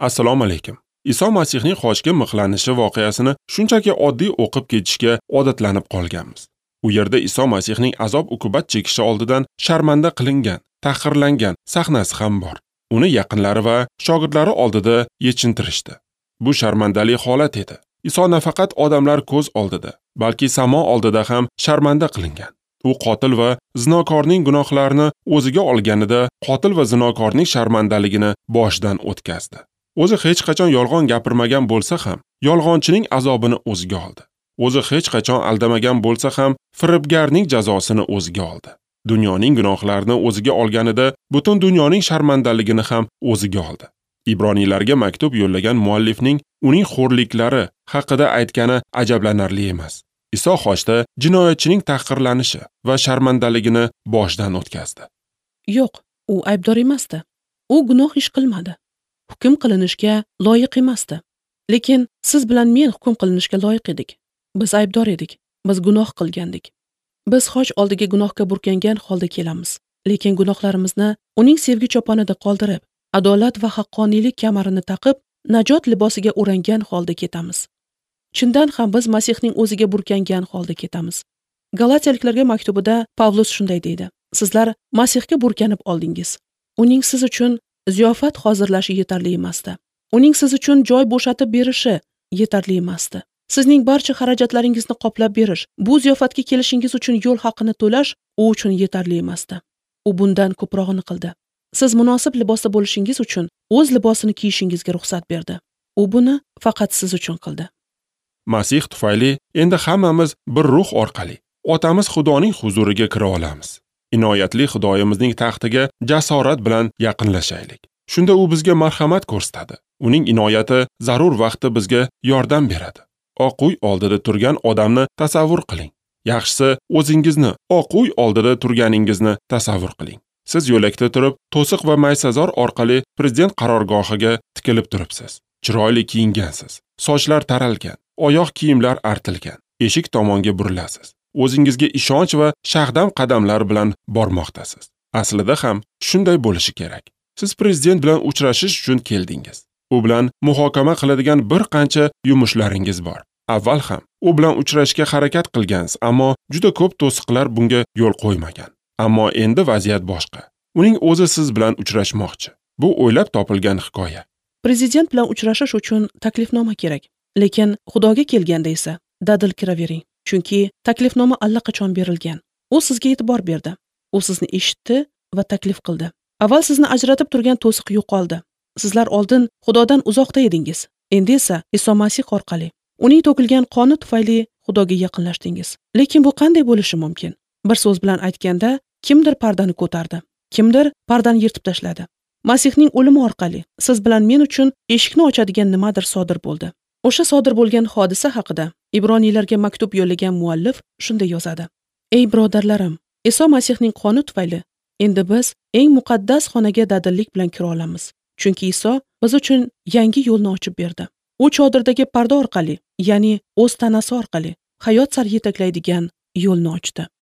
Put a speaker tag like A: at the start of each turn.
A: Assalomu alaykum. Iso Masihning xochga mixlanishi voqeasini shunchaki oddiy o'qib ketishga odatlanib qolganmiz. U yerda Iso Masihning azob-uqubat chekishi oldidan sharmanda qilingan, tahqirlangan sahnasi ham bor. Uni yaqinlari va shogirdlari oldida yechintirishdi. Bu sharmandali holat edi. Iso nafaqat odamlar ko'z oldida, balki samo oldida ham sharmanda qilingan. U qotil va zinokorning gunohlarini o'ziga olganida qotil va zinokorning sharmandaligini boshidan o'tkazdi. O'zi hech qachon yolg'on gapirmagan bo'lsa ham, yolg'onchining azobini o'ziga oldi. O'zi hech qachon aldamagan bo'lsa ham, firibgarning jazosini o'ziga oldi. Dunyoning gunohlarini o'ziga olganida butun dunyoning sharmandaligini ham o'ziga oldi. Ibroniylarga maktub yo'llagan muallifning uning xo'rliklari haqida aytgani ajablanarli emas. Iso xochda jinoyatchining tahqirlanishi va sharmandaligini boshdan o'tkazdi.
B: Yo'q, u aybdor emasdi. U gunoh ish qilmadi. Hukm qilinishga loyiq emasdi. Lekin siz bilan men hukm qilinishga loyiq edik. Biz aybdor edik. Biz gunoh qilgandik. Biz xoch oldiga gunohga burkangan holda kelamiz. Lekin gunohlarimizni uning sevgi choponida qoldirib, adolat va haqqoniylik kamarini taqib, najot libosiga o'rangan holda ketamiz. Chindan ham biz Masihning o'ziga burkangan holda ketamiz. Galatiyaliklarga maktubida Pavlus shunday deydi: Sizlar Masihga burkanib oldingiz. Uning siz uchun ziyofat hozirlashi yetarli emasdi. Uning siz uchun joy bo'shatib berishi yetarli emasdi. Sizning barcha xarajatlaringizni qoplab berish, bu ziyofatga kelishingiz uchun yo'l haqini to'lash u uchun yetarli emasdi. U bundan ko'prog'ini qildi. Siz munosib libosda bo'lishingiz uchun o'z libosini kiyishingizga ruxsat berdi. U buni faqat siz uchun qildi.
A: Masih tufayli endi hammamiz bir ruh orqali Otamiz Xudoning huzuriga kira olamiz. Inoyatli Xudoyimizning taxtiga jasorat bilan yaqinlashaylik. Shunda u bizga marhamat ko'rsatadi. Uning inoyati zarur vaqtda bizga yordam beradi. Oq uy oldida turgan odamni tasavvur qiling. Yaxshisi, o'zingizni oq uy oldida turganingizni tasavvur qiling. Siz yo'lakda turib, to'siq va maysazor orqali prezident qarorgohiga tikilib turibsiz. Chiroyli kiyingansiz. Sochlar taralgan, oyoq kiyimlar artilgan. Eshik tomonga burilasiz. O'zingizga ishonch va shag'dam qadamlar bilan bormoqdasiz. Aslida ham shunday bo'lishi kerak. Siz prezident bilan uchrashish uchun keldingiz. U bilan muhokama qiladigan bir qancha yumushlaringiz bor. Avval ham u bilan uchrashishga harakat qilgansiz, ammo juda ko'p to'siqlar bunga yo'l qo'ymagan. Ammo endi vaziyat boshqa. Uning o'zi siz bilan uchrashmoqchi. Bu o'ylab topilgan hikoya.
B: Prezident bilan uchrashish uchun taklifnoma kerak. Lekin Xudoga kelganda esa dadil kiravering. Chunki taklifnoma allaqachon berilgan. U sizga e'tibor berdi. U sizni eshitdi va taklif qildi. Avval sizni ajratib turgan to'siq yo'qoldi. Sizlar oldin Xudodan uzoqda edingiz. Endi esa Iso Masih orqali, uning to'kilgan qoni tufayli Xudoga yaqinlashdingiz. Lekin bu qanday bo'lishi mumkin? Bir so'z bilan aytganda, kimdir pardani ko'tardi, kimdir pardani yirtib tashladi. Masihning o'limi orqali siz bilan men uchun eshikni ochadigan nimadir sodir bo'ldi. O'sha sodir bo'lgan hodisa haqida Ibroniylarga maktub yo'llagan muallif shunday yozadi: Ey birodarlarim, Iso Masihning qoni tufayli endi biz eng muqaddas xonaga dadillik bilan kira olamiz. Chunki Iso biz uchun yangi yo'lni ochib berdi. U chodirdagi parda orqali, ya'ni o'z tanasi orqali hayot sari yetaklaydigan yo'lni ochdi.